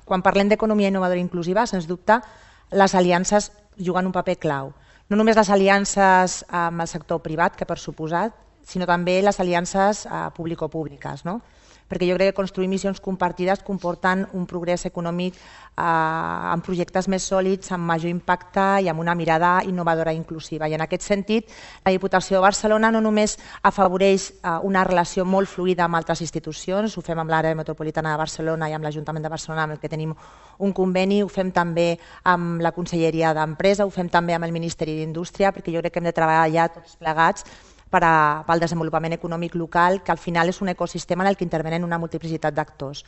Quan parlem d'economia innovadora i inclusiva, sens dubte, les aliances juguen un paper clau. No només les aliances amb el sector privat, que per suposat, sinó també les aliances público-públiques, no? Perquè jo crec que construir missions compartides comporten un progrés econòmic amb projectes més sòlids, amb major impacte i amb una mirada innovadora i inclusiva. I en aquest sentit, la Diputació de Barcelona no només afavoreix una relació molt fluida amb altres institucions, ho fem amb l'àrea metropolitana de Barcelona i amb l'Ajuntament de Barcelona, amb el que tenim un conveni, ho fem també amb la Conselleria d'Empresa, ho fem també amb el Ministeri d'Indústria, perquè jo crec que hem de treballar tots plegats pel desenvolupament econòmic local, que al final és un ecosistema en el que intervenen una multiplicitat d'actors.